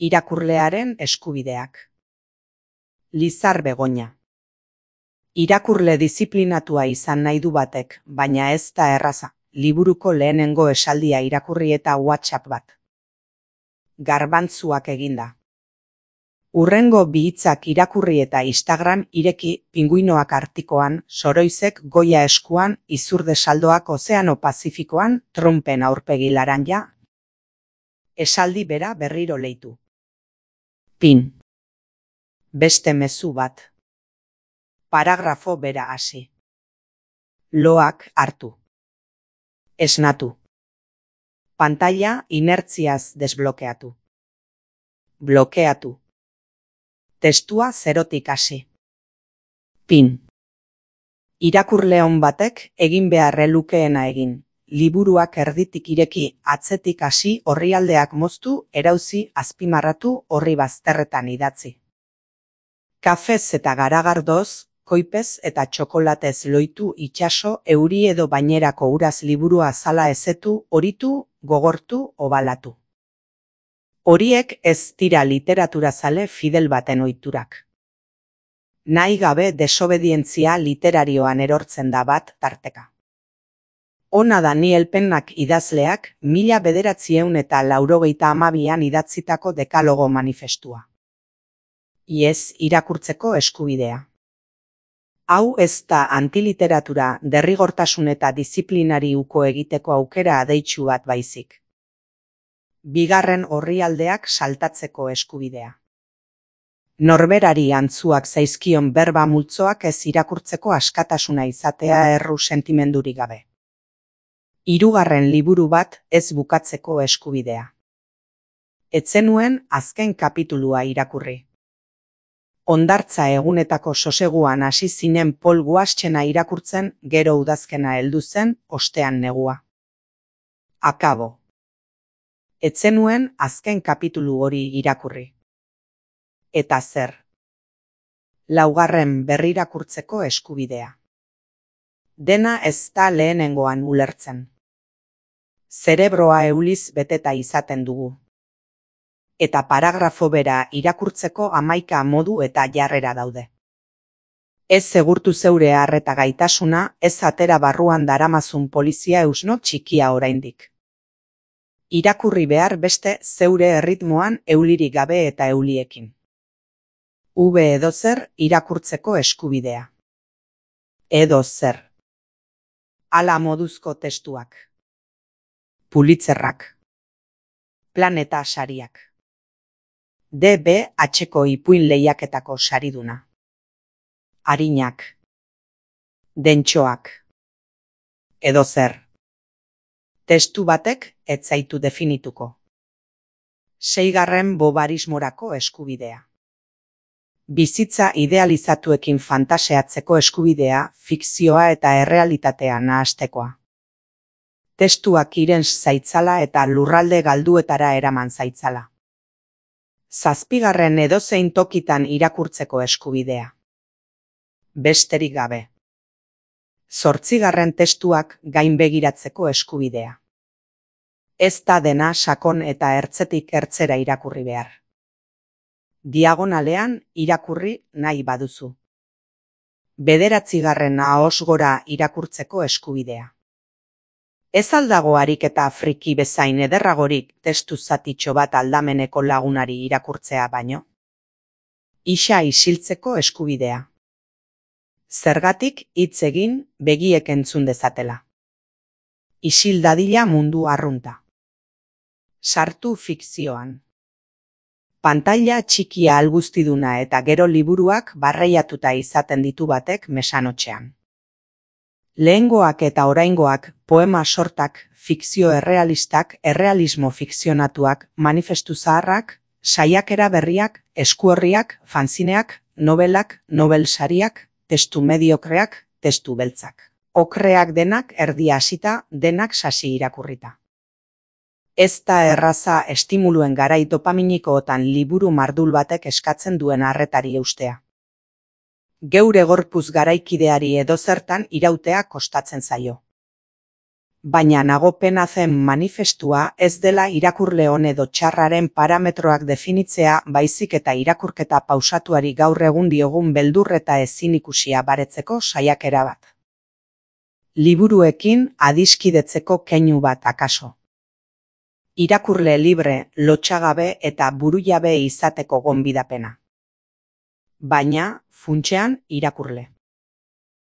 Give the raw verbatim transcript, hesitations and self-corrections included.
Irakurlearen eskubideak. Lizar Begoña. Irakurle diziplinatua izan nahi du batek, baina ez da erraza, liburuko lehenengo esaldia irakurri eta WhatsApp bat. Garbantzuak eginda. Urrengo bi hitzak irakurri eta Instagram ireki, pinguinoak artikoan, soroizek goia eskuan, izurde saldoak Ozeano Pazifikoan, Trumpen aurpegi laranja. Esaldi bera berriro leitu. Pin. Beste mezu bat. Paragrafo bera hasi. Loak hartu. Esnatu. Pantalla inertziaz desblokeatu. Blokeatu. Testua zerotik hasi. Pin. Irakurle on batek egin beharre lukeena egin. Liburuak erditik ireki, atzetik hasi, orrialdeak moztu, erauzi, azpimarratu, orri bazterretan idatzi. Kafez eta garagardoz, koipez eta txokolatez loitu itsaso, euri edo bainerako uraz liburua zala ezetu, horitu, gogortu, obalatu. Horiek ez dira literaturazale fidel baten ohiturak. Nahi gabe desobedientzia literarioan erortzen da bat tarteka. Ona Daniel Pennak idazleak mila bederatziehun eta laurogeita hamabian idatzitako dekalogo manifestua. Iez irakurtzeko eskubidea. Hau ez da antiliteratura, derrigortasun eta disiplinari uko egiteko aukera adeitsu bat baizik. Bigarren orrialdeak saltatzeko eskubidea. Norberari antzuak zaizkion berba multzoak ez irakurtzeko askatasuna izatea erru sentimendurik gabe. Hirugarren liburu bat ez bukatzeko eskubidea. Ez zenuen azken kapitulua irakurri. Hondartza egunetako soseguan hasi zinen Pol Guaschena irakurtzen, gero udazkena heldu zen, ostean negua. Akabo. Ez zenuen azken kapitulu hori irakurri. Eta zer? Laugarren berrirakurtzeko eskubidea. Dena ez da lehenengoan ulertzen. Zerebroa euliz beteta izaten dugu. Eta paragrafo bera irakurtzeko hamaika modu eta jarrera daude. Ez segurtu zeure arreta gaitasuna, ez atera barruan daramazun polizia eusno txikia oraindik. Irakurri behar beste zeure erritmoan eulirik gabe eta euliekin. V edozer irakurtzeko eskubidea. Edozer. Ala moduzko testuak. Pulitzerrak. Planeta sariak. D B H-ko ipuin lehiaketako sariduna. Arinak. Dentxoak. Edozer. Testu batek ez zaitu definituko. Seigarren bobarismorako eskubidea. Bizitza idealizatuekin fantaseatzeko eskubidea, fikzioa eta errealitatea nahastekoa. Testuak irens zaitzala eta lurralde galduetara eraman zaitzala. Zazpigarren edozein tokitan irakurtzeko eskubidea. Besterik gabe. Zortzigarren testuak gainbegiratzeko eskubidea. Ez da dena sakon eta ertzetik ertzera irakurri behar. Diagonalean irakurri nahi baduzu. Bederatzigarren ahos gora irakurtzeko eskubidea. Ez aldago ariketa friki bezain ederragorik testu zatitxo bat aldameneko lagunari irakurtzea baino. Isa isiltzeko eskubidea. Zergatik hitz egin begiek entzun dezatela. Isil dadila mundu arrunta. Sartu fikzioan. Pantalla txikia alguztiduna eta gero liburuak barreiatuta izaten ditu batek mesanotxean. Lehengoak eta oraingoak, poema sortak, fikzio errealistak, errealismo fikzionatuak, manifestu zaharrak, saiakera berriak, eskuorriak, fanzineak, nobelak, nobel sariak, testu mediokreak, testu beltzak. Okreak denak erdi hasita, denak sasi irakurrita. Ez da erraza estimuluen garai dopaminikoetan liburu mardul batek eskatzen duen arretari eustea. Geure gorpuz garaikideari edozertan irautea kostatzen zaio. Baina nagopena zen manifestua ez dela irakurle on edo txarraren parametroak definitzea baizik eta irakurketa pausatuari gaur egun diogun beldur eta ezin ikusia baretzeko saiakera bat. Liburuekin adiskidetzeko keinu bat akaso. Irakurle libre, lotsagabe eta burujabe izateko gonbidapena. Baina, funtsean irakurle.